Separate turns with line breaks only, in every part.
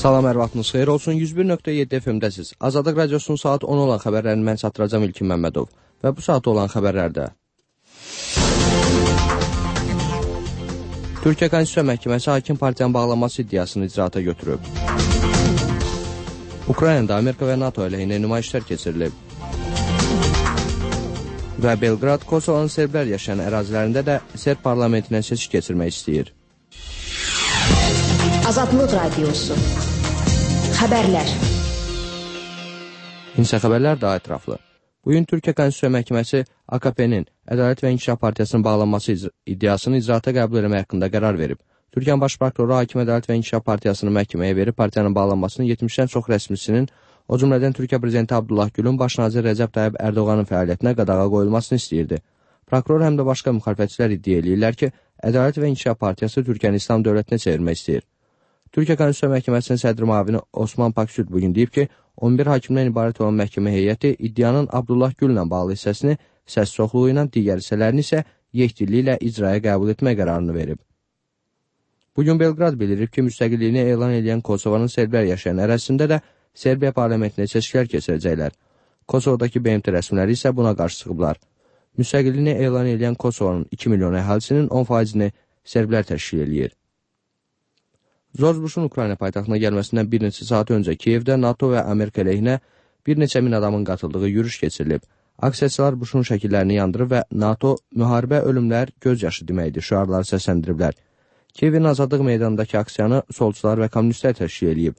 Salam, hər vaxtınız xeyir olsun. 101.7 FM-dəsiz. Azadlıq Radiosunun saat 10 olan xəbərlərini mən çatdıracağam İlkin Məmmədov. Və bu saat olan xəbərlərdə Türkiyə Konstitusiya Məhkəməsi hakim partiyanın bağlanması iddiasını icraata götürüb. Ukraynada Amerika və NATO əleyhinə nümayişlər keçirilib. Və Belqrad, Kosovanın serblər yaşayan ərazilərində də Serb parlamentinə seçki keçirmək istəyir.
Azadlıq Radiosu. Xəbərlər.
İnsə xəbərlər daha ətraflı. Bugün Türkiyə Konstitusiya Məhkəməsi AKP-nin Ədalət və İnkişaf Partiyasının bağlanması iddiasını icraata qəbul etmək haqqında qərar verib. Türkiyənin baş prokuroru Hakim Ədalət və İnkişaf Partiyasını məhkəməyə verib partiyanın bağlanmasının 70-dən çox rəsmisinin, o cümlədən Türkiyə Prezidenti Abdullah Gülün baş nazir Rəcəb Tayyib Ərdoğanın fəaliyyətinə qadağa qoyulmasını istəyirdi. Prokuror həm də başqa müxalifətçilər iddia edirlər ki, Ədalət və İnkişaf Partiyası Türkiyəni İslam dövlətinə çevirmək istəyir. Türkiyə Konstitusiya Məhkəməsinin sədri müavini Osman Paksüd bugün deyib ki, 11 hakimdən ibarət olan məhkəmə heyəti iddianın Abdullah Güllə bağlı hissəsini səs çoxluğu ilə, digər hissələrini isə yekdilli ilə icraya qəbul etmək qərarını verib. Bugün Belqrad bildirib ki, müstəqilliyini elan edən Kosovanın serblər yaşayan ərazisində də Serbiya parlamentinə seçkilər keçirəcəklər. Kosovadakı BMT rəsmiləri isə buna qarşı çıxıblar. Müstəqilliyini elan edən Kosovanın 2 milyon əhalisinin 10%-ni serblər təşkil edir. George Bush'un Ukrayna paytaxtına gəlməsindən bir neçə saat öncə Kiyevdə NATO və Amerika əleyhinə bir neçə min adamın qatıldığı yürüş keçirilib. Aksiyaçılar Bush'un şəkillərini yandırıb və NATO müharibə, ölümlər, göz yaşı deməkdir şüarları səsləndiriblər. Kiyevin Azadlıq meydanındakı aksiyanı solçular və kommunistlər təşkil edib.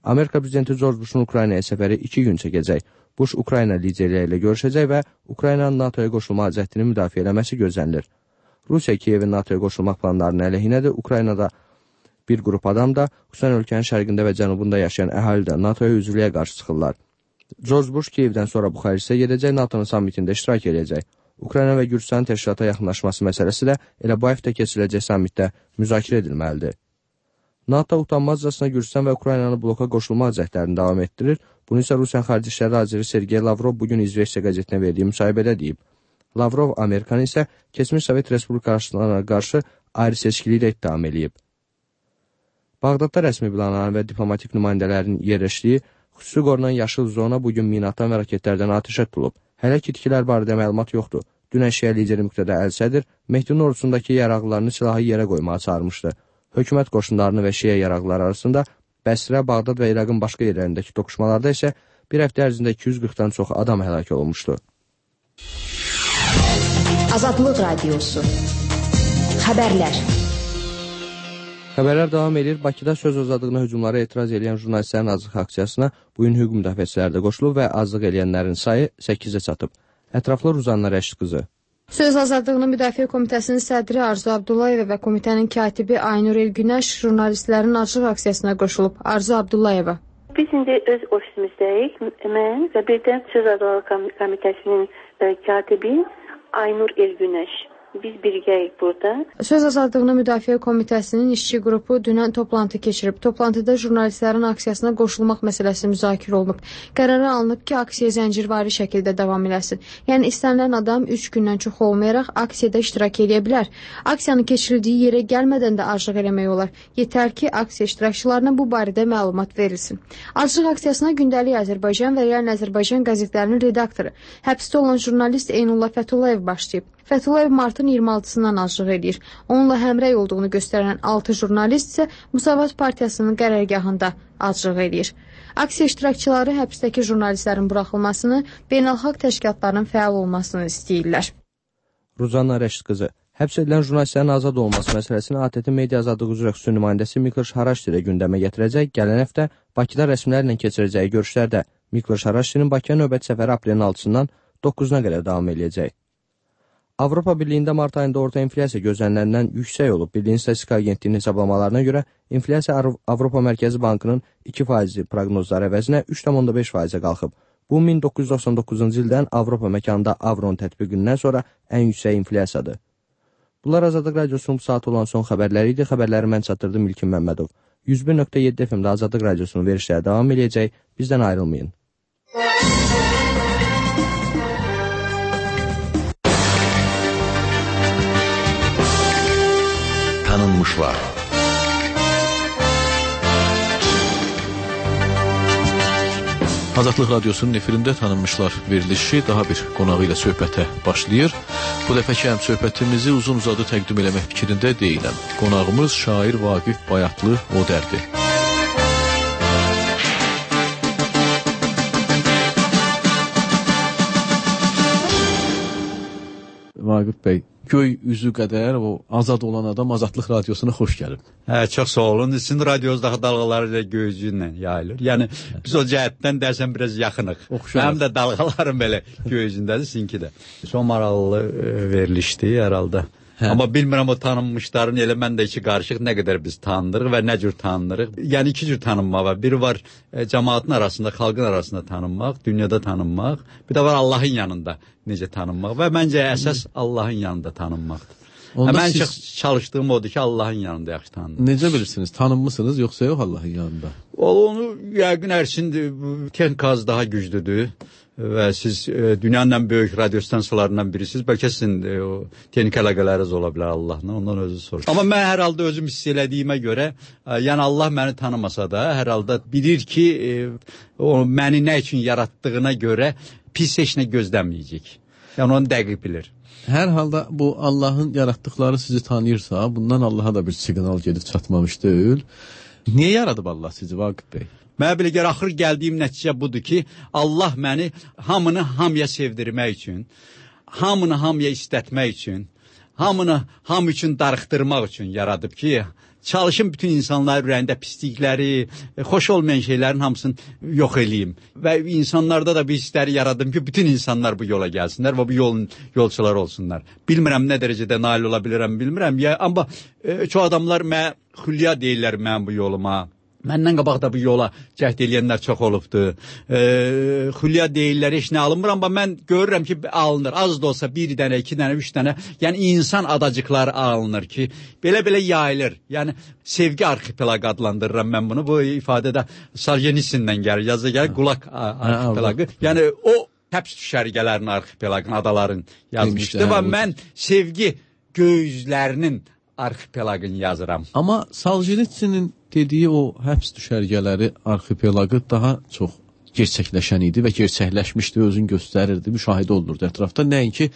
Amerika prezidenti George Bush'un Ukraynaya səfəri 2 gün çəkəcək. Bush Ukrayna liderləri ilə görüşəcək və Ukraynanın NATOya qoşulma cəhdini müdafiə eləməsi gözlənilir. Rusiya Kiyevin NATOya qoşulmaq planlarının əleyhinədir. Ukraynada bir qrup adam da, xüsusən ölkənin şərqində və cənubunda yaşayan əhali də NATOya üzvlüyə qarşı çıxırlar. George Bush Kiyevdən sonra Buxarestə gedəcək, NATO'nun sammitində iştirak edəcək. Ukrayna və Gürcüstanın təşkilata yaxınlaşması məsələsi də elə bu həftə keçiriləcək sammitdə müzakirə edilməlidir. NATO utanmazcasına Gürcüstan və Ukraynanı bloka qoşulma cəhdlərini davam etdirir. Bunu isə Rusiyanın Xarici İşlər naziri Sergey Lavrov bugün İzveçya qəzetinə verdiyi müsahibədə deyib. Lavrov Amerikanı isə keçmiş Sovet Respublikalarına qarşı ayrı seçkiliyi də ittiham edib. Bağdadda rəsmi binaların və diplomatik nümayəndələrin yerləşdiyi xüsusi qorunan yaşıl zona bugün minaatan və raketlərdən atəşə tutulub. Hələ ki itkilər barədə məlumat yoxdur. Dünən Şiə lideri Müqtədə Əl-Sədir Mehdinin ordusundakı yaraqlarını silahı yerə qoymağa çağırmışdı. Hökumət qoşunlarını və Şiə yaraqları arasında Bəsrə, Bağdad və İraqın başqa yerlərindəki toqquşmalarda isə bir həftə ərzində 240-dan çox adam həlak olunmuşdu.
Azadlıq Radiosu. Xəbərlər.
Xəbərlər davam edir. Bakıda söz azadlığına hücumlara etiraz edən jurnalistlərin azlıq aksiyasına bugün hüquq müdafiəçiləri də qoşulub və azlıq eləyənlərin sayı 8-ə çatıb. Ətraflı Ruzanna Rəşid qızı.
Söz azadlığını müdafiə komitəsinin sədri Arzu Abdullayeva və komitənin katibi Aynur Elgünəş jurnalistlərin azlıq aksiyasına qoşulub. Arzu Abdullayeva.
Biz indi öz ofisimizdəyik. Mən və bir də Söz azadlığı komitəsinin katibi Aynur Elgünəş. Biz birgəyik burada.
Söz azadlığını müdafiə komitəsinin işçi qrupu dünən toplantı keçirib. Toplantıda jurnalistlərin aksiyasına qoşulmaq məsələsi müzakirə olunub. Qərara alınıb ki, aksiya zəncirvari şəkildə davam eləsin. Yəni istənilən adam 3 gündən çox olmayaraq aksiyada iştirak edə bilər. Aksiyanın keçirildiyi yerə gəlmədən də aclıq eləmək olar. Yetər ki, aksiya iştirakçılarına bu barədə məlumat verilsin. Aclıq aksiyasına Gündəlik Azərbaycan və Real Azərbaycan qəzetlərinin redaktoru, həbsdə olan jurnalist Eynullah Fəthullayev başlayıb. Fəthullayev martın 26-sından aclıq edir. Onunla həmrəy olduğunu göstərən 6 jurnalist isə Müsavat Partiyasının qərargahında aclıq edir. Aksiya iştirakçıları həbsdəki jurnalistlərin buraxılmasını, beynəlxalq təşkilatların fəal olmasını istəyirlər.
Ruzanna Rəşid qızı. Həbs edilən jurnalistlərin azad olması məsələsini ATƏT Media Azadlığı üzrə xüsusi nümayəndəsi Mikloş Haraşti ilə gündəmə gətirəcək. Gələn həftə Bakıda rəsmilərlə keçirəcəyi görüşlərdə Mikloş Haraştinin Bakıya növbəti səfəri aprelin 6-dan 9-una qədər davam edəcək. Avropa Birliyində mart ayında orta inflyasiya gözləniləndən yüksək olub. Birliyin Statistika Agentliyinin hesablamalarına görə inflyasiya Avropa Mərkəzi Bankının 2% proqnozları əvəzinə 3,5%-ə qalxıb. Bu 1999-cu ildən Avropa məkanında avronun tətbiqindən sonra ən yüksək inflyasiyadır. Bunlar Azadlıq Radiosunun bu saat olan son xəbərləri idi. Xəbərləri mən çatdırdım İlkin Məmmədov. 101.7 FM-də Azadlıq Radiosunun verişləri davam edəcək. Bizdən ayrılmayın.
Tanınmışlar. Azadlıq Radiosunun efirində tanınmışlar verilişi daha bir qonağı ilə söhbətə başlayır. Bu dəfəki həm söhbətimizi uzun-uzadı təqdim eləmək fikrində deyiləm. Qonağımız şair Vaqif Bayatlı Odərdir. Vaqif bəy, göy üzü qədər o azad olan adam Azadlıq Radiosuna xoş gəlib.
Çox sağ olun. Sizin radionuzdakı dalğalar ilə göy üzü ilə yayılır. Yəni biz o cəhətdən dərsəm biraz yaxınıq. Mənim də dalğalarım belə göy üzündədir, sizinki də. Çox maraqlı verilişdi hər halda. Amma bilmirəm o tanınmışların elə mən də iki qarışıq nə qədər biz tanınırıq və nə cür tanınırıq. Yəni iki cür tanınma var. Biri var cəmaatın arasında, xalqın arasında tanınmaq, dünyada tanınmaq. Bir də var Allahın yanında necə tanınmaq və məncə əsas Allahın yanında tanınmaqdır. Mən çalışdığım odur ki, Allahın yanında yaxşı tanınır.
Necə bilirsiniz? Tanınmısınız yoxsa yox Allahın yanında?
Onu yəqin ərsin texnikası daha güclüdür. Və siz dünyanın ən böyük radyo stansiyalarından birisiniz. Bəlkə sizin o texnik əlaqələriniz ola bilər Allahla, ondan özü sorur. Amma mən hər halda özüm hiss elədiyimə görə, yəni Allah məni tanımasa da, hər halda bilir ki, o məni nə üçün yaratdığına görə pis heç nə gözləməyəcək. Yəni onu dəqiq bilir.
Hər halda bu Allahın yaratdıqları sizi tanıyırsa, bundan Allaha da bir siqnal gedib çatmamış deyil. Niyə yaradıb Allah sizi Vaqif bəy?
Mənə belə gəlir, axır gəldiyim nəticə budur ki, Allah məni hamını hamıya sevdirmək üçün, hamını hamıya istətmək üçün, hamını hamı üçün darıxdırmaq üçün yaradıb ki, çalışım bütün insanların ürəyində pislikləri, xoş olmayan şeylərin hamısını yox eləyim. Və insanlarda da bir hissləri yaradım ki, bütün insanlar bu yola gəlsinlər və bu yolun yolçuları olsunlar. Bilmirəm nə dərəcədə nail ola bilirəm, bilmirəm. Amma çox adamlar xülya deyirlər mən bu yoluma. Məndən qabaqda bu yola cəhd eləyənlər çox olubdur. Xülya deyirlər, heç nə alınmır, amma mən görürəm ki, alınır. Az da olsa bir dənə, iki dənə, üç dənə. Yəni, insan adacıqları alınır ki, belə-belə yayılır. Yəni, sevgi arxipelagı adlandırıram mən bunu. Bu ifadədə Soljenitsin'dən gəlir, yazı gəlir, Qulaq arxipelagı. Yəni, o həbs düşərgələrinin arxipelagını, adaların yazmışdı və mən sevgi gözlərinin arxipelagını yazıram.
Amma Soljenitsinin dediyi o həbs düşərgələri arxipelagı daha çox gerçəkləşən idi və gerçəkləşmişdi, özünü göstərirdi, müşahidə olunurdu ətrafda. Nəinki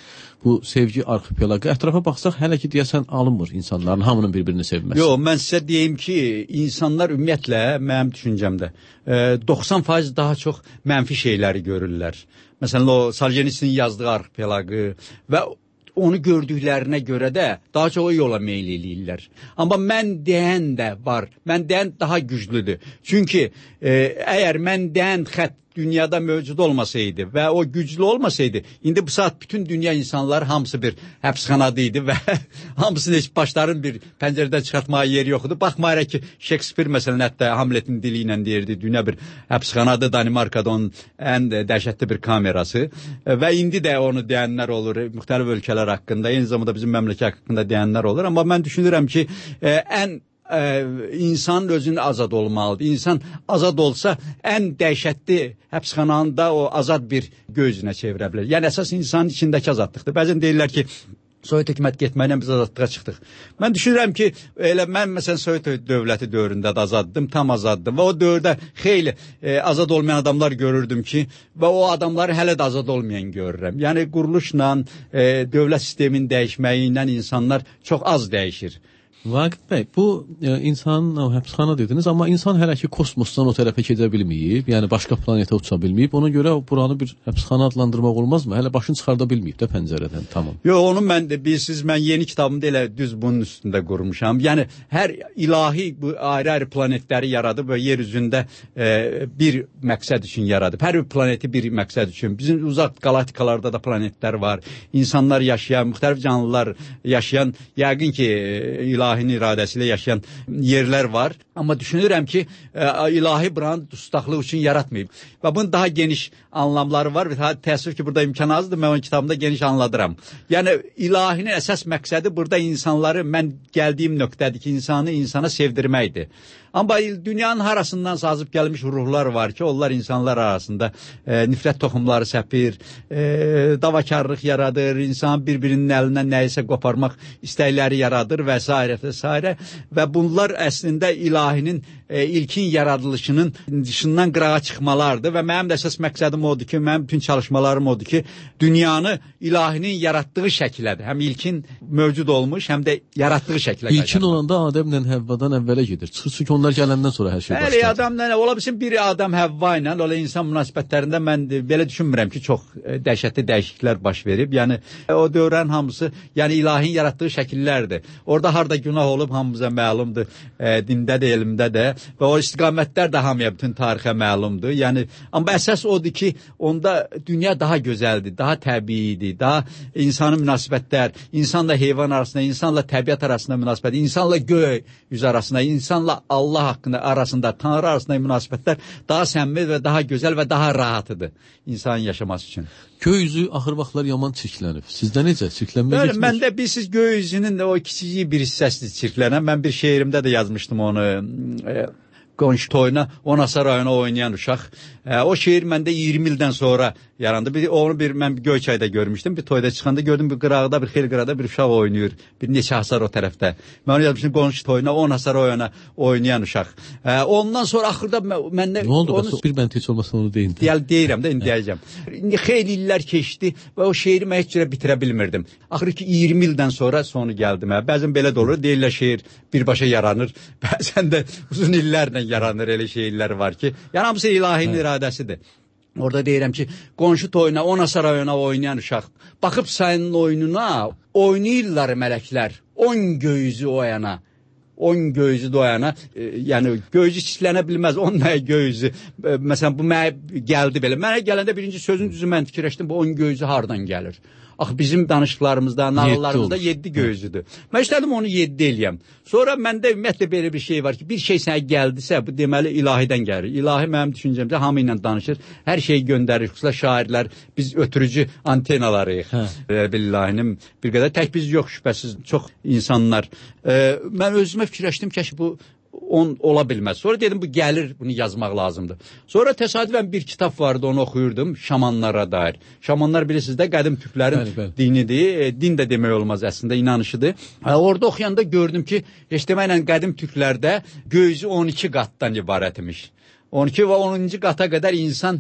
bu sevgi arxipelagı. Ətrafa baxsaq hələ ki deyəsən alınmır insanların hamının bir-birini sevməsi.
Yox, mən sizə deyim ki, insanlar ümumiyyətlə, mənim düşüncəmdə 90% daha çox mənfi şeyləri görürlər. Məsələn, o Soljenitsinin yazdığı arxipelagı və onu gördüklərinə görə də daha çox o yola meyl eləyirlər. Amma mən deyən də var. Mən deyən daha güclüdür. Çünki əgər mən deyən xətt dünyada mövcud olmasaydı və o güclü olmasaydı, indi bu saat bütün dünya insanları hamısı bir həbsxanada idi və hamısını heç başların bir pəncərədən çıxartmağa yeri yoxdur. Baxmayaraq ki, Shakespeare məsələn hətta Hamletin dili ilə deyirdi, dünya bir həbsxanadır, Danimarkada onun ən dəhşətli bir kamerası və indi də onu deyənlər olur, müxtəlif ölkələr haqqında, eyni zamanda bizim məmləkət haqqında deyənlər olur. Amma mən düşünürəm ki, insanın özünün azad olmalıdır. İnsan azad olsa ən dəhşətli həbsxananda o azad bir gözünə çevirə bilər. Yəni əsas insanın içindəki azadlıqdır. Bəzən deyirlər ki, Sovet hökumət getməklə biz azadlığa çıxdıq. Mən düşünürəm ki, mən məsələn Sovet dövləti dövründə də azaddım, tam azaddım və o dövrdə xeyli azad olmayan adamlar görürdüm ki, və o adamları hələ də azad olmayan görürəm. Yəni quruluşla, dövlət sisteminin dəyişməyi ilə insanlar çox az dəyişir.
Vaqif bəy, bu insanın həbsxana dediniz, amma insan hələ ki kosmosdan o tərəfə gedə bilməyib, yəni başqa planetə uça bilməyib, ona görə buranı bir həbsxana adlandırmaq olmazmı? Hələ başını çıxarda bilməyib də pəncərədən, tamam.
Yox, onu mən də bilirsiniz, mən yeni kitabımda elə düz bunun üstündə qurmuşam. Yəni, hər ilahi bu ayrı-ayrı planetləri yaradıb və yer üzündə bir məqsəd üçün yaradıb. Hər bir planeti bir məqsəd üçün. Bizim uzaq galaktikalarda da planetlər var. İnsanlar yaşayan, müxtəlif canlılar yaşayan, yəqin ki, ilahinin iradəsi ilə yaşayan yerlər var. Amma düşünürəm ki, ilahi buranı dustaqlıq üçün yaratmayıb. Və bunun daha geniş anlamları var. Təəssüf ki, burada imkan azdır, mən onun kitabımda geniş anladıram. Yəni, ilahinin əsas məqsədi burada insanları, mən gəldiyim nöqtədir ki, insanı insana sevdirməkdir. Amma dünyanın harasından sazıb gəlmiş ruhlar var ki, onlar insanlar arasında nifrət toxumları səpir, davakarlıq yaradır, insan bir-birinin əlindən nəyisə qoparmaq istəkləri yaradır və s. və və bunlar əslində ilahinin ilkin yaradılışının dışından qırağa çıxmalardır və mənim də əsas məqsədim odur ki, mənim bütün çalışmalarım odur ki, dünyanı ilahinin yaratdığı şəklədir. Həm ilkin mövcud olmuş, həm də yaratdığı şəklə qaytarır.
İlkin olanda Adəmlə Həvvadan əvvələ gedir. Çünki onlar gələndən sonra hər şey başladı.
Bəli, Adəmlə, ola bilsin bir Adəm Həvva ilə, ola insan münasibətlərində mən belə düşünmürəm ki, çox dəhşətli dəyişikliklər baş verib. Yəni o dövrlərin hamısı, yəni ilahinin yaratdığı şəkillərdir. Orada harda günah olub hamımıza məlumdur, dində də, elmdə də və o istiqamətlər də hamıya bütün tarixə məlumdur. Yəni amma əsas odur ki, onda dünya daha gözəldir, daha təbiidir, daha insanın münasibətlər, insanla heyvan arasında, insanla təbiət arasında münasibət, insanla göy yüz arasında, insanla Allah haqqında arasında, Tanrı arasında münasibətlər daha səmimi və daha gözəl və daha rahatıdır insanın yaşaması üçün.
Göy üzü axır vaxtlar yaman çirklənib. Sizdə necə? Çirklənmə getmir?
Məndə siz göy üzünün o kiçik bir hissəsidir çirklənən. Mən bir şeirimdə də yazmışdım onu. Qonşu toyuna, Onasa rayonu oynayan uşaq. O şeir məndə 20 ildən sonra yarandı. Onu mən Göyçayda görmüşdüm. Bir toyda çıxanda gördüm bir qırağda, bir xeyli qırağda bir uşaq oynayır. Bir neçə hasar o tərəfdə. Mən onu yazmışdım qonşu toyuna, Onasa rayonu oynayan uşaq. Ondan sonra axırda məndə...
Nə oldu? Bir bənd heç olmasa onu deyin.
Deyirəm də, indi deyəcəm. İndi xeyli illər keçdi və o şeiri mən heç cürə bitirə bilmirdim. Axır ki 20 ildən sonra sonu gəldi mənə. Bəzən belə də olur, deyirlər şeir birbaşa yaranır. Bəzən də uzun illərlə yaranır, elə şeylər var ki. Yəni hamısı ilahinin iradəsidir. Orada deyirəm ki, qonşu toyuna, Onasa rayona oynayan uşaq. Baxıb sənin oyununa, oynayırlar mələklər. 10 göyüzü o yana. 10 göyüzü doyana, yəni göyüzü çitlənə bilməz, 10 göyüzü. Məsələn, bu mənə gəldi belə. Mənə gələndə birinci sözün düzü mən fikirləşdim, bu 10 göyüzü hardan gəlir? Axı bizim danışıqlarımızda, nağıllarımızda 7 göyüzüdür. Mən istədim onu 7 eləyəm. Sonra məndə ümumiyyətlə belə bir şey var ki, bir şey sənə gəldisə, bu deməli ilahidən gəlir. İlahi mənim düşüncəmdə hamı ilə danışır, hər şeyi göndərir, xüsusilə şairlər, biz ötürücü antenalarıyıq. Billahinin bir qədər, tək biz yox şübhəsiz, çox insanlar. Mən özümə fikirləşdim ki, bu ola bilməz. Sonra dedim, bu gəlir, bunu yazmaq lazımdır. Sonra təsadüfən bir kitab vardı, onu oxuyurdum, şamanlara dair. Şamanlar bilirsiniz də, qədim türklərin dinidir. Din də demək olmaz əslində, inanışıdır. Orada oxuyanda gördüm ki, heç deməklə qədim türklərdə göyüzü 12 qatdan ibarət imiş. 12 və 10-cu qata qədər insan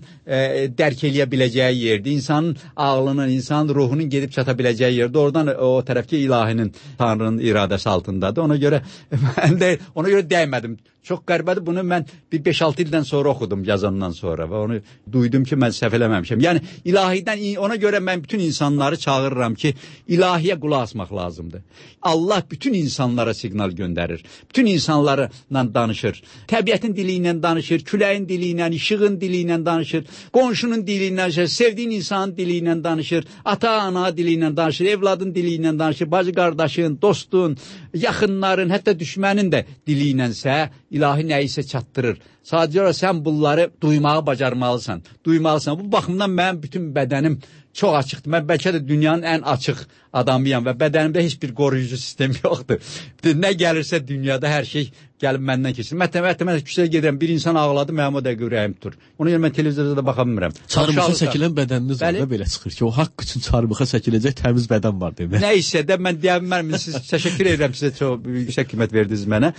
dərk eləyə biləcəyi yerdir. İnsanın ağlının, insanın ruhunun gedib çata biləcəyi yerdir. Oradan o tərəfki ilahinin, Tanrının iradəsi altındadır. Ona görə mən də ona görə dəymədim. Çox qəribədir. Bunu mən bir 5-6 ildən sonra oxudum yazandan sonra və onu duydum ki, mən səhv eləməmişəm. Yəni ilahidən, ona görə mən bütün insanları çağırıram ki, ilahiyə qulaq asmaq lazımdır. Allah bütün insanlara siqnal göndərir. Bütün insanlarla danışır. Təbiətin dili ilə danışır, küləyin dili ilə, işığın dili ilə danışır, qonşunun dili ilə danışır, sevdiyin insanın dili ilə danışır, ata-ana dili ilə danışır, evladın dili ilə danışır, bacı-qardaşın, dostun, yaxınların, hətta düşmənin də dili ilənsə, ilahi nəyisə çatdırır. Sadəcə sən bunları duymağı bacarmalısan, duymalısan. Bu baxımdan mənim bütün bədənim çox açıqdır. Mən bəlkə də dünyanın ən açıq adamıyam və bədənimdə heç bir qoruyucu sistem yoxdur. Nə gəlirsə dünyada hər şey gəlib məndən keçir. Mən küçəyə gedirəm, bir insan ağladı, mənim o dəqiqə ürəyim tutur. Ona görə mən televizorda da baxa bilmirəm.
Çarmıxa çəkilən bədəniniz var da belə çıxır ki, o haqq üçün çarmıxa çəkiləcək təmiz bədən var demək.
Nə isə də mən deyə bilmərəm, siz təşəkkür edirəm, sizə çox yüksək qiymət verdiniz mənə.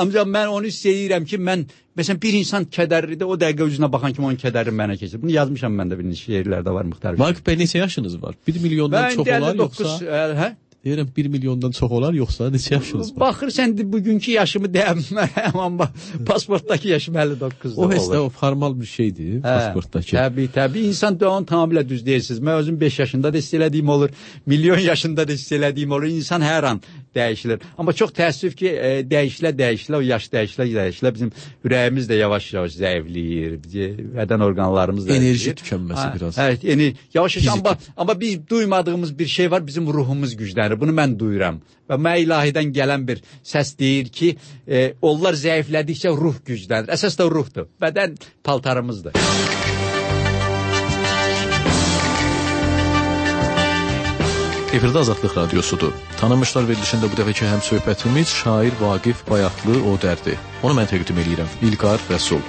Ancaq mən onu hiss edirəm ki, məsələn bir insan kədərlidir, o dəqiqə üzünə baxan kimi onun kədəri mənə keçir. Bunu yazmışam mən də bir şeirlərdə var müxtəlif.
Vaqif bəy, neçə yaşınız var? 1 milyondan çox olar yoxsa? Deyirəm 1 milyondan çox olar yoxsa neçə yaşınız var?
Baxırsan bugünkü yaşımı deyəmərəm, amma pasportdakı yaşım 59-dur.
O həsdə o formal bir şeydir pasportdakı.
Təbii. İnsan da onu tamamilə düz deyirsiniz. Mən özüm 5 yaşında da hiss elədiyim olur, milyon yaşında da hiss elədiyim olur. İnsan hər an dəyişilir. Amma çox təəssüf ki, dəyişilə, o yaş dəyişilə bizim ürəyimiz də yavaş-yavaş zəifləyir, bədən orqanlarımız da
enerji tükənməsi biraz.
Evet, yavaş-yavaş, amma biz duymadığımız bir şey var, bizim ruhumuz güclənir. Bunu mən duyuram. Və mən ilahidən gələn bir səs deyir ki, onlar zəiflədikcə ruh güclənir. Əsas da ruhdur. Bədən paltarımızdır.
Efirdə Azadlıq Radiosudur. Tanınmışlar verilişində bu dəfəki həm söhbətimiz şair Vaqif Bayatlı Odərdir. Onu mən təqdim edirəm. İlqar Rəsul.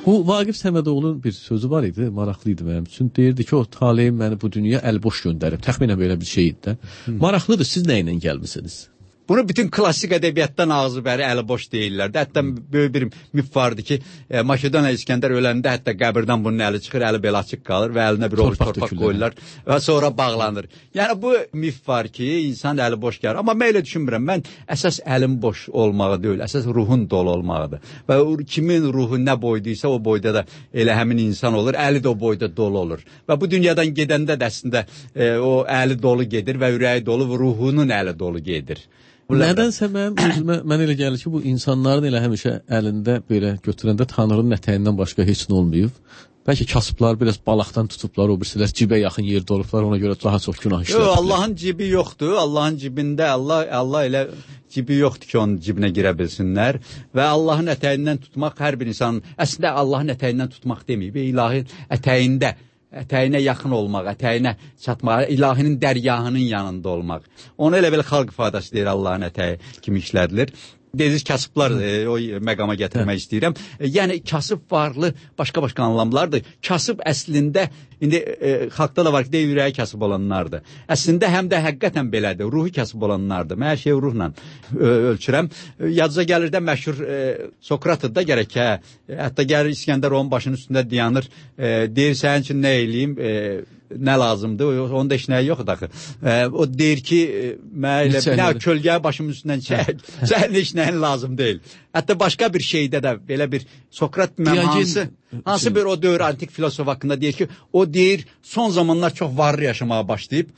Bu Vaqif Səmədoğlu'nun bir sözü var idi, maraqlı idi mənim üçün. Deyirdi ki, o taleyim məni bu dünya əlboş göndərib. Təxminən belə bir şey idi də. Maraqlıdır, siz nə ilə gəlmisiniz?
Bunu bütün klassik ədəbiyyatdan ağzı bəri əli boş deyirlər. Hətta böyük bir mif vardı ki, Makedoniya İskəndər öləndə hətta qəbirdən bunun əli çıxır, əli belə açıq qalır və əlinə bir ovuc torpaq qoyurlar və sonra bağlanır. Yəni bu mif var ki, insan əli boş gəlir. Amma mən elə düşünmürəm. Mən əsas əlin boş olmağı deyil, əsas ruhun dolu olmağıdır. Və kimin ruhu nə boyduysa o boyda da elə həmin insan olur, əli də o boyda dolu olur. Və bu dünyadan gedəndə də əslində o əli dolu gedir və ürəyi dolu və ruhunun əli dolu gedir.
Nədənsə mən elə gəlir ki, bu insanların elə həmişə əlində belə götürəndə Tanrının ətəyindən başqa heç nə olmayıb. Bəlkə kasıblar biraz balaqdan tutublar, o birisilər cibə yaxın yerdə olublar, ona görə daha çox günah işləyirlər.
Yox, Allahın cibi yoxdur. Allahın cibində Allah elə cibi yoxdur ki, onun cibinə girə bilsinlər. Və Allahın ətəyindən tutmaq hər bir insanın, əslində Allahın ətəyindən tutmaq deməyib, ilahin ətəyinə yaxın olmaq, ətəyinə çatmaq, ilahinin dərgahının yanında olmaq. Onu elə belə xalq ifadəsi deyir, Allahın ətəyi kimi işlədilir. Dediniz kasıblar o məqama gətirmək istəyirəm. Yəni kasıb varlı başqa-başqa anlamlardır. Kasıb əslində indi xalqda da var ki, ürəyi kasıb olanlardır. Əslində həm də həqiqətən belədir. Ruhu kasıb olanlardır. Mən hər şeyi ruhla ölçürəm. Yadınıza gəlir də məşhur Sokratı da gərək hə. Hətta gəlir İskəndər onun başının üstündə dayanır. Deyir sənin üçün nə eləyim? Nə lazımdır? Onun da heç nəyi yoxdur axı. O deyir ki, mənə elə kölgəyə başımın üstündən çək. Sənin heç nəyin lazım deyil. Hətta başqa bir şeydə də belə bir Sokrat hansı bir o dövr antik filosof haqqında deyir ki, o deyir son zamanlar çox varlı yaşamağa başlayıb.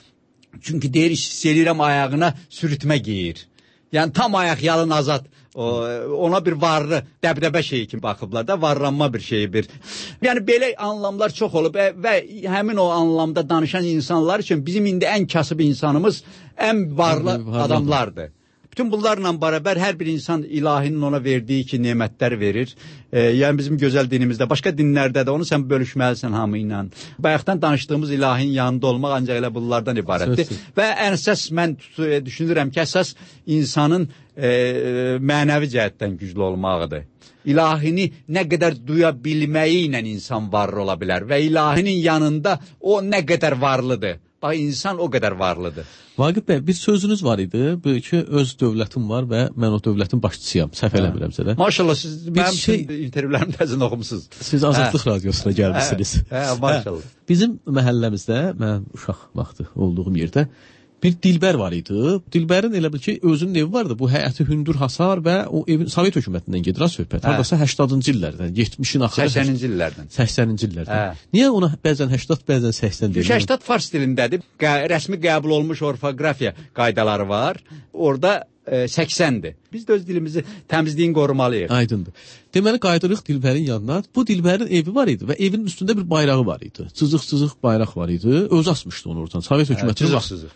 Çünki deyir hiss edirəm ayağına sürütmə geyir. Yəni tam ayaq yalın azad. Ona bir varlı, dəbdəbə şeyi kimi baxıblar da, varlanma bir şeyi bir. Yəni belə anlamlar çox olub və həmin o anlamda danışan insanlar üçün bizim indi ən kasıb insanımız ən varlı adamlardır. Bütün bunlarla bərabər hər bir insan ilahinin ona verdiyi ki, nemətlər verir. Yəni bizim gözəl dinimizdə, başqa dinlərdə də onu sən bölüşməlisən hamı ilə. Bayaqdan danışdığımız ilahin yanında olmaq ancaq elə bunlardan ibarətdir. Və ən əsas mən düşünürəm ki, əsas insanın mənəvi cəhətdən güclü olmağıdır. İlahini nə qədər duya bilməyi ilə insan varlı ola bilər və ilahinin yanında o nə qədər varlıdır. Bax, insan o qədər varlıdır.
Vaqif bəy, bir sözünüz var idi, böyle ki, öz dövlətim var və mən o dövlətin başçısıyam, səhv eləmirəmsə də.
Maşallah, siz mənim intervyularımı təzən oxumusunuz.
Siz Azadlıq Radiosuna gəlmişsiniz.
Maşallah.
Bizim məhəlləmizdə, mən uşaq vaxtı olduğum yerdə, bir dilbər var idi. Dilbərin elə bil ki, özünün evi vardı. Bu həyəti hündür hasar və o evin Sovet hökumətindən gedir söhbət. Hardasa 80-cı illərdən, 70-in axırı.
80-ci illərdən.
80-ci illərdən. Niyə ona bəzən 80, bəzən 80 deyir?
80 fars dilindədir. Rəsmi qəbul olmuş orfoqrafiya qaydaları var. Orada 80-dir. Biz də öz dilimizi təmizliyin qorumalıyıq.
Aydındır. Deməli, qaydırıq dilbərin yanına. Bu dilbərin evi var idi və evin üstündə bir bayrağı var idi. Cızıq-cızıq bayraq var idi. Öz asmışdı onu oradan. Sovet hökumətinin vaxtı.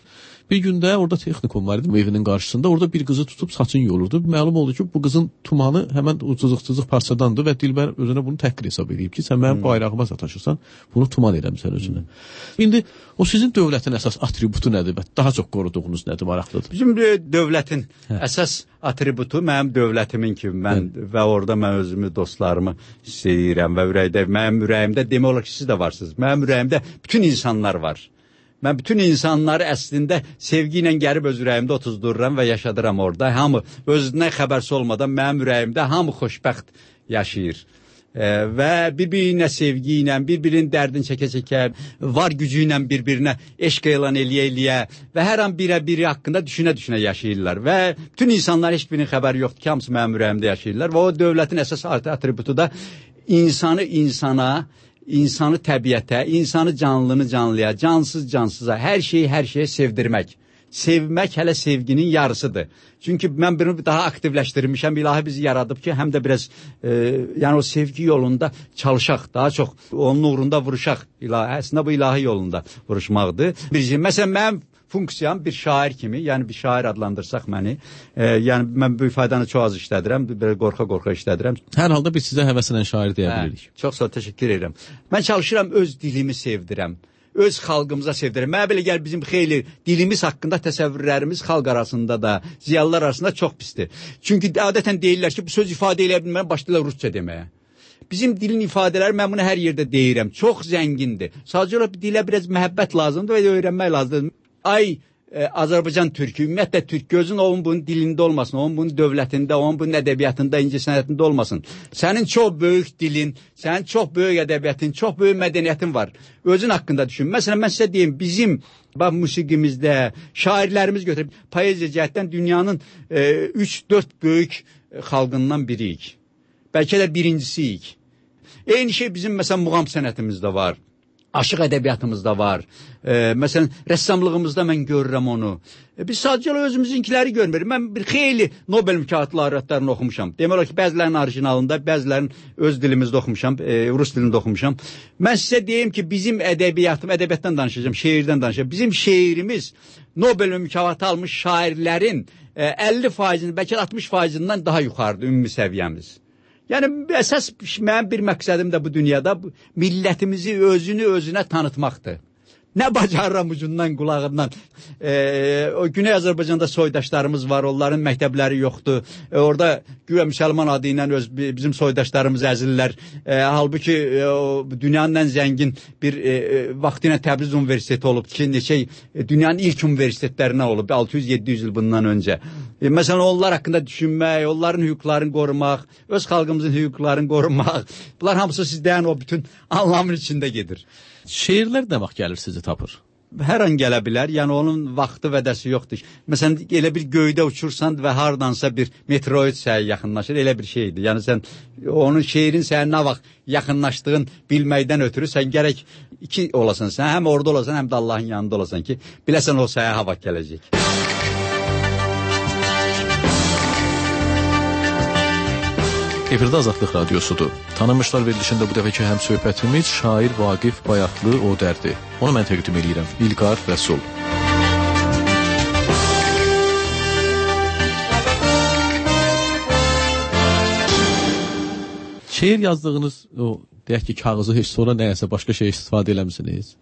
Bir gündə orada texnikum var idi evinin qarşısında. Orada bir qızı tutub saçını yolurdu. Məlum oldu ki, bu qızın tumanı həmən o cızıq-cızıq parçadandır və dilbər özünə bunu təhqir hesab edib ki, sən mənim bayrağıma sataşırsan, bunu tuman eləmsən özünə. İndi o sizin dövlətin əsas atributu nədir və daha çox qoruduğunuz nədir, maraqlıdır?
Bizim dövlətin əsas atributu mənim dövlətimin kimi mən və orada mən özümü, dostlarımı istəyirəm və mənim ürəyimdə demək olar ki, siz də varsınız. Mənim ürəyimdə bütün insanlar var. Mən bütün insanları əslində sevgi ilə gəlib öz ürəyimdə otuzdururam və yaşadıram orada. Hamı özünə xəbərsi olmadan mənim ürəyimdə hamı xoşbəxt yaşayır. Və bir-birinə sevgi ilə, bir-birinin dərdini çəkə-çəkə, var gücü ilə bir-birinə eşq elan eləyə-eləyə və hər an biri haqqında düşünə-düşünə yaşayırlar. Və bütün insanlar heç birinin xəbəri yoxdur ki, hamısı mənim ürəyimdə yaşayırlar. Və o dövlətin əsas atributu da insanı insana, İnsanı təbiətə, insanı canlını canlıya, cansız cansıza, hər şeyə sevdirmək. Sevmək hələ sevginin yarısıdır. Çünki mən bunu daha aktivləşdirmişəm, ilahi bizi yaradıb ki, həm də biraz yəni o sevgi yolunda çalışaq, daha çox onun uğrunda vuruşaq. Əslində bu ilahi yolunda vuruşmaqdır. Məsələn, mənim funksiyam bir şair kimi, yəni bir şair adlandırsaq məni, yəni mən bu ifadanı çox az işlədirəm, belə qorxa-qorxa işlədirəm.
Hər halda biz sizə həvəslə şair deyə bilirik.
Çox sağ ol, təşəkkür edirəm. Mən çalışıram, öz dilimi sevdirəm, öz xalqımıza sevdirəm. Mənə belə gəl bizim xeyli dilimiz haqqında təsəvvürlərimiz xalq arasında da, ziyalılar arasında çox pisdir. Çünki adətən deyirlər ki, bu söz ifadə eləyə bilmərəm, başlayırlar rusca deməyə. Bizim dilin ifadələri, mən bunu hər yerdə deyirəm, çox zəngindir. Sadəcə dilə biraz məhəbbət lazımdır və öyrənmək lazımdır. Azərbaycan türkü, ümumiyyətlə türk gözün onun bunun dilində olmasın, onun bunun dövlətində, onun bunun ədəbiyyatında, incəsənətində olmasın. Sənin çox böyük dilin, sənin çox böyük ədəbiyyatın, çox böyük mədəniyyətin var. Özün haqqında düşün. Məsələn, mən sizə deyim, bizim musiqimizdə şairlərimiz götürüb, poeziya cəhətdən dünyanın 3-4 böyük xalqından biriyik. Bəlkə də birincisiyik. Eyni şey bizim, məsələn, muğam sənətimizdə var. Aşıq ədəbiyyatımızda var. Məsələn, rəssamlığımızda mən görürəm onu. Biz sadəcə özümüzünkiləri görmürük. Mən bir xeyli Nobel mükafatı laureatlarını oxumuşam. Demək olar ki, bəzilərinin orijinalında, bəzilərinin öz dilimizdə oxumuşam, rus dilində oxumuşam. Mən sizə deyim ki, bizim ədəbiyyatdan danışacağım, şeirdən danışacağım. Bizim şeirimiz Nobel mükafatı almış şairlərin 50%, bəlkə 60%-dən daha yuxarıdır ümumi səviyyəmiz. Yəni, əsas mənim bir məqsədim də bu dünyada millətimizi özünə tanıtmaqdır. Nə bacarıram ucundan, qulağından. O Güney Azərbaycanda soydaşlarımız var, onların məktəbləri yoxdur. Orada güya müsəlman adı ilə bizim soydaşlarımız əzilirlər. Halbuki dünyanın ən zəngin bir vaxtı ilə Təbriz Universiteti olub ki, dünyanın ilk universitetlərindən olub, 600-700 il bundan öncə. Məsələn, onlar haqqında düşünmək, onların hüquqlarını qorumaq, öz xalqımızın hüquqlarını qorumaq, bunlar hamısı sizdən o bütün anlamın içində gedir.
Şeirlər nə vaxt gəlir sizi tapır?
Hər an gələ bilər, yəni onun vaxtı vədəsi yoxdur. Məsələn, elə bir göydə uçursan və hardansa bir meteorit sənə yaxınlaşır, elə bir şeydir. Yəni sən onun şeirin sənə nə vaxt yaxınlaşdığın bilməkdən ötürü sən gərək iki olasan, sən həm orada olasan, həm də Allahın yanında olasan ki, biləsən o sənə hava gələcək.
Efirdə Azadlıq Radiosudur. Tanınmışlar verilişində bu dəfəki həm söhbətimiz şair Vaqif Bayatlı Odərdir. Onu mən təqdim edirəm. İlqar Rəsul. Şeir yazdığınız o deyək ki, kağızı heç sonra nəyəsə başqa şey istifadə eləmisiniz?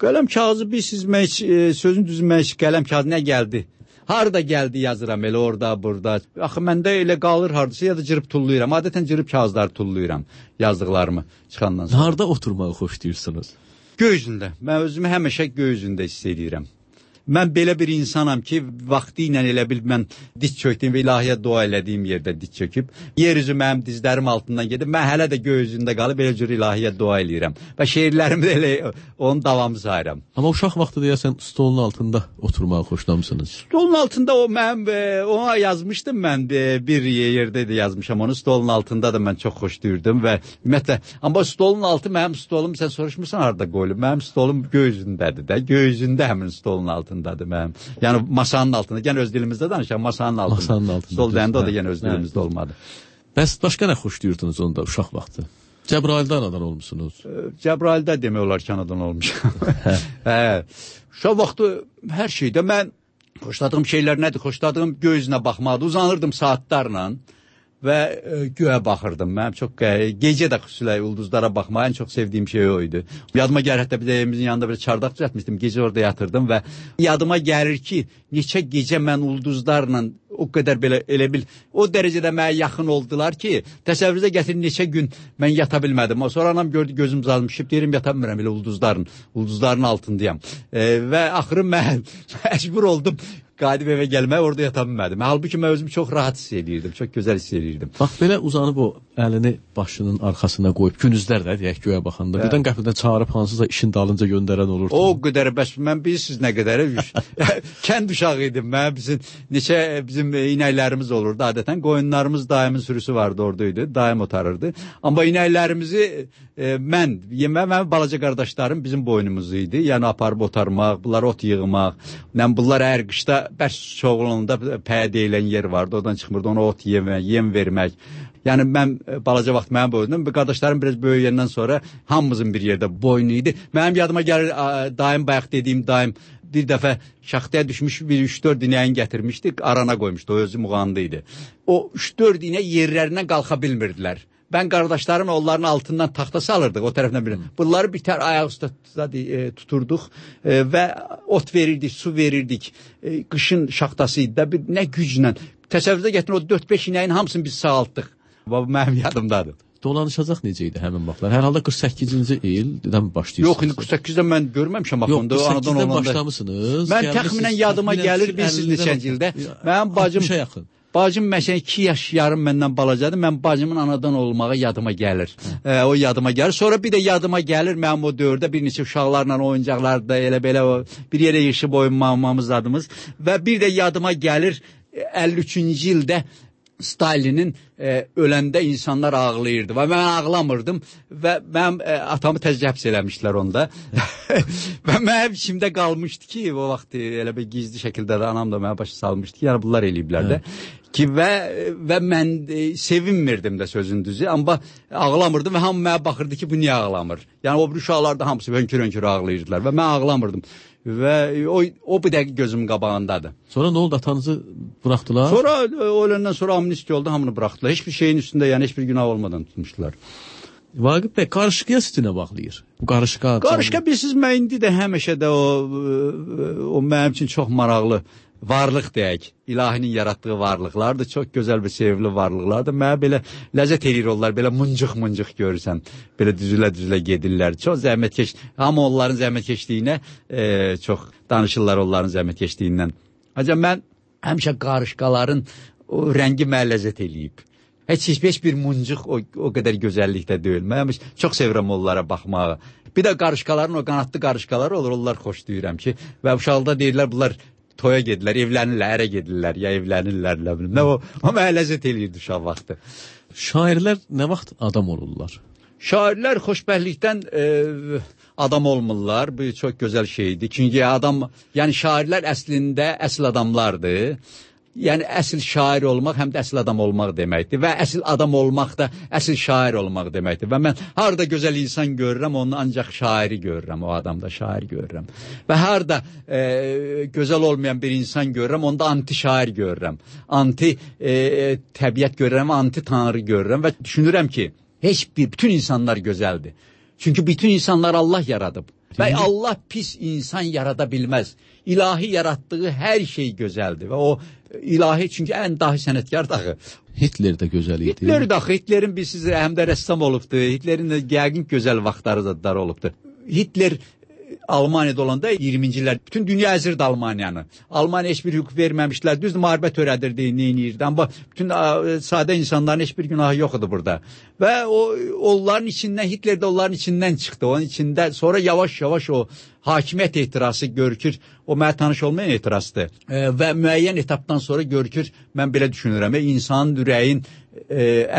Qələm kağızı bilsizmək, sözün düzülmək, qələm kağızı nə gəldi? Harada gəldi yazıram, elə orada, burada. Axı, məndə elə qalır hardasa, ya da cırıb tullayıram. Adətən cırıb kağızları tullayıram yazdıqlarımı çıxandan sonra.
Harada oturmağı xoşlayırsınız?
Göy üzündə. Mən özümü həmişə göy üzündə hiss edirəm. Mən belə bir insanam ki, vaxtı ilə elə bil mən diz çökdüyüm və ilahiyə dua elədiyim yerdə diz çöküb. Yer üzü mənim dizlərim altından gedib. Mən hələ də göy üzündə qalıb elə cür ilahiyə dua eləyirəm. Və şeirlərimi də elə onun davamı sayıram.
Amma uşaq vaxtı deyəsən stolun altında oturmağı xoşlamısınız.
Stolun altında ona yazmışdım mən. Bir yerdə də yazmışam onu. Stolun altında da mən çox xoşlayırdım və ümumiyyətlə, amma stolun altı mənim stolum, sən soruşmursan harada qoyulub. Mənim stolum göy üzündədir də. Göy üzündə həmin stolun altındadır mənim. Yəni masanın altında. Yəni öz dilimizdə danışaq, masanın altında.
Masanın altında.
Stol deyəndə o da yəni öz dilimizdə olmadı.
Bəs başqa nə xoşlayırdınız onda uşaq vaxtı? Cəbraildə anadan olmuşsunuz?
Cəbraildə demək olar ki, anadan olmuşam. Uşaq vaxtı hər şeydə mən xoşladığım şeylər nədir? Xoşladığım göy üzünə baxmadı. Uzanırdım saatlarla və göyə baxırdım. Mənim çox gecə də xüsusilə ulduzlara baxmağı ən çox sevdiyim şey o idi. Yadıma gəlir, hətta bir də evimizin yanında bir çardaq düzəltmişdim. Gecə orada yatırdım və yadıma gəlir ki, neçə gecə mən ulduzlarla o qədər belə elə bil o dərəcədə mənə yaxın oldular ki, təsəvvürünüzə gətirin neçə gün mən yata bilmədim. Sonra anam gördü, gözüm zalmışıb, deyirəm yata bilmirəm elə ulduzların altındayam. Və axırı mən məcbur oldum qayıdıb evə gəlməyə, orada yata bilmədim. Halbuki mən özümü çox rahat hiss edirdim, çox gözəl hiss edirdim.
Bax, belə uzanıb o əlini başının arxasına qoyub, gündüzlər də deyək göyə baxanda, birdən qəfildən çağırıb hansısa işin dalınca göndərən olurdu.
O qədər, bəs mən bilirsiniz nə qədər kənd uşağı idim. Mən bizim inəklərimiz olurdu adətən. Qoyunlarımız daimin sürüsü vardı, oradaydı, daim otarırdı. Amma inəklərimizi mənim balaca qardaşlarım bizim boynumuz idi. Yəni aparıb otarmaq, bunlar ot yığmaq, bunlar hər qışda bəs çoğulunda pəyə deyilən yer vardı, oradan çıxmırdı, ona ot yem vermək. Yəni mən balaca vaxt mənim boynum, qardaşlarım biraz böyüyəndən sonra hamımızın bir yerdə boynu idi. Mənim yadıma gəlir, daim bayaq dediyim daim bir dəfə şaxtaya düşmüş bir 3-4 inəyin gətirmişdi, arana qoymuşdu, o özü muğandı idi. O 3-4 inə yerlərindən qalxa bilmirdilər. Ben qardaşlarım onların altından taxta salırdıq o tərəfdən birini. Bunları bitər ayaq üstə tuturduk və ot verirdik, su verirdik. Qışın şaxtasıydı da nə güclə. Təsəvvürdə gətirin o 4-5 inəyin hamısını biz sağaltdıq. Bu mənim yadımdadır.
dolanışacaq necə idi həmin vaxtlar? Hər halda 48-ci ildən başlayırsınız.
Yox, 48-də mən görməmişəm axı.
Yox, 48-də başlamısınız.
Mən təxminən yadıma gəlir, bilirsiniz neçənci ildə. Mənim bacım məsələn 2 yaş yarım məndən balacadır. Mən bacımın anadan olmağı yadıma gəlir. O yadıma gəlir. Sonra bir də yadıma gəlir mənim o dövrdə bir neçə uşaqlarla oyuncaqlarda elə-belə bir yerə yığışıb oynamamız adımız və bir də yadıma gəlir 53-cü ildə Stalinin öləndə insanlar ağlayırdı və mən ağlamırdım və mənim atamı tez həbs eləmişlər onda və mənim içimdə qalmışdı ki, o vaxt elə bir gizli şəkildə də anam da mənə başa salmışdı ki, yəni bunlar eləyiblər də ki və mən sevinmirdim də sözün düzü, amma ağlamırdım və hamı mənə baxırdı ki, bu niyə ağlamır? Yəni o bir uşaqlar da hamısı hönkür-hönkür ağlayırdılar və mən ağlamırdım. Və o bir dəqiq gözümün qabağındadır.
Sonra nə oldu? Atanızı buraxdılar?
Sonra öləndən sonra amnistiya oldu, hamını buraxdılar. Heç bir şeyin üstündə, yəni heç bir günah olmadan tutmuşdular.
Vaqif bəy, qarışıqya sizinə bağlayır. Bu qarışıqa
bilirsiniz, mən indi də həmişə də o mənim üçün çox maraqlı varlıq deyək, ilahinin yaratdığı varlıqlardır, çox gözəl və sevimli varlıqlardır. Mənə belə ləzzət eləyir onlar, belə mıncıq görürsən, belə düzülə gedirlər. Çox zəhmətkeş, amma onların zəhmətkeşliyinə çox danışırlar onların zəhmətkeşliyindən. Ancaq mən həmişə qarışqaların o rəngi mənə ləzzət eləyib. Heç bir mıncıq o qədər gözəllikdə deyil. Mən çox sevirəm onlara baxmağı. Bir də qarışqaların o qanadlı qarışqaları olur, onlar xoşlayıram ki, və uşaqda deyirlər bunlar toya gedirlər, evlənirlər, ərə gedirlər, ya evlənirlər, nə bilim. O mənə ləzzət eləyirdi uşaq vaxtı.
Şairlər nə vaxt adam olurlar?
Şairlər xoşbəxtlikdən adam olmurlar. Bu çox gözəl şeydir. Çünki yəni şairlər əslində əsl adamlardır. Yəni əsl şair olmaq həm də əsl adam olmaq deməkdir və əsl adam olmaq da əsl şair olmaq deməkdir və mən harada gözəl insan görürəm, onu ancaq şairi görürəm, o adamda şair görürəm və harada gözəl olmayan bir insan görürəm, onda anti şair görürəm, anti təbiət görürəm, anti tanrı görürəm və düşünürəm ki, bütün insanlar gözəldir. Çünki bütün insanlar Allah yaradıb və Allah pis insan yarada bilməz. İlahi yaratdığı hər şey gözəldir və o ilahi çünki ən dahi sənətkar dağı.
Hitler də gözəl idi.
Hitler də Hitlerin birisiz həm də rəssam olubdu. Hitlerin də yəqin gözəl vaxtları zadları olubdu. Hitler Almaniyada olanda 20-ci illər bütün dünya əzirdi Almaniyanı. Almaniya heç bir hüquq verməmişdilər. Düzdür, müharibə törədirdi, neyinirdi. Amma bütün sadə insanların heç bir günahı yox idi burada. Və onların içindən, Hitler də onların içindən çıxdı. Onun içində sonra yavaş-yavaş o hakimiyyət ehtirası görükür. O mənə tanış olmayan ehtirasdır. Və müəyyən etapdan sonra görükür, mən belə düşünürəm, insanın ürəyin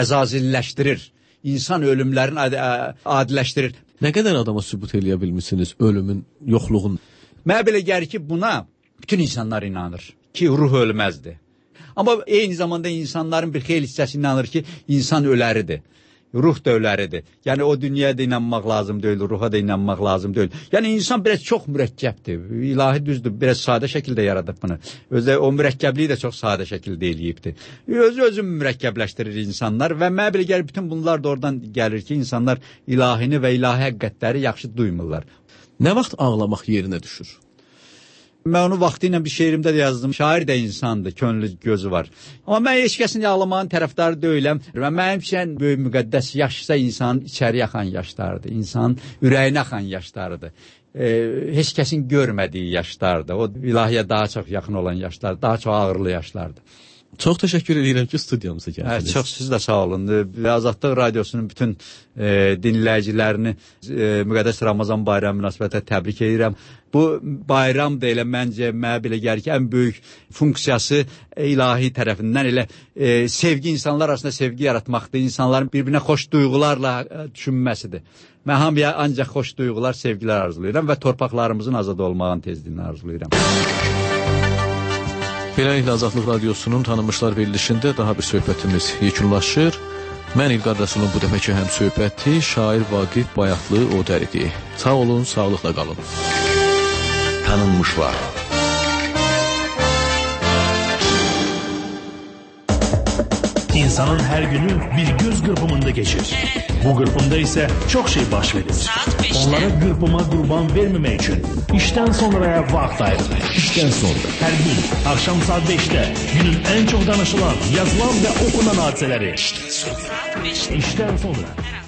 əzazilləşdirir. İnsan ölümlərini adiləşdirir.
Nə qədər adama sübut eləyə bilmişsiniz ölümün, yoxluğun?
Mənə belə gəlir ki, buna bütün insanlar inanır ki, ruh ölməzdir. Amma eyni zamanda insanların bir xeyli hissəsi inanır ki, insan öləridir. Ruh da öləridir. Yəni o dünyaya da inanmaq lazım deyil, ruha da inanmaq lazım deyil. Yəni insan biraz çox mürəkkəbdir. İlahi düzdür, biraz sadə şəkildə yaradıb bunu. Özü o mürəkkəbliyi də çox sadə şəkildə eləyibdir. Özü mürəkkəbləşdirir insanlar və mənə belə gəlir bütün bunlar da oradan gəlir ki, insanlar ilahini və ilahi həqiqətləri yaxşı duymurlar.
Nə vaxt ağlamaq yerinə düşür?
Mən onu vaxtı ilə bir şeirimdə də yazdım. Şair də insandır, könlü gözü var. Amma mən heç kəsin ağlamağın tərəfdarı deyiləm. Və mənim üçün böyük müqəddəs yaşsa insanın içəri axan yaşlardır. İnsanın ürəyinə axan yaşlardır. Heç kəsin görmədiyi yaşlardır. O ilahiyə daha çox yaxın olan yaşlardır. Daha çox ağırlı yaşlardır.
Çox təşəkkür edirəm ki, studiyamıza gəldiniz.
Çox siz də sağ olun. Azadlıq Radiosunun bütün dinləyicilərini müqəddəs Ramazan bayramı münasibətilə təbrik edirəm. Bu bayram da elə məncə mənə belə gəlir ki, ən böyük funksiyası ilahi tərəfindən elə sevgi, insanlar arasında sevgi yaratmaqdır. İnsanların bir-birinə xoş duyğularla düşünməsidir. Mən hamıya ancaq xoş duyğular, sevgilər arzulayıram və torpaqlarımızın azad olmağın tezliyini arzulayıram.
Beləliklə Azadlıq Radiosunun tanınmışlar verilişində daha bir söhbətimiz yekunlaşır. Mən İlqar Rəsulun bu dəfəki həm söhbəti şair Vaqif Bayatlı Odər idi. Sağ olun, sağlıqla qalın.
Tanınmışlar. İnsanın her günü bir göz qırpımında geçir. Bu qırpımda ise çok şey baş verir. Onlara qırpıma qurban vermemek için işten sonraya vaxt ayırın. İşten sonra her gün akşam saat 5'te günün en çok danışılan, yazılan ve okunan hadiseleri. İşten sonra.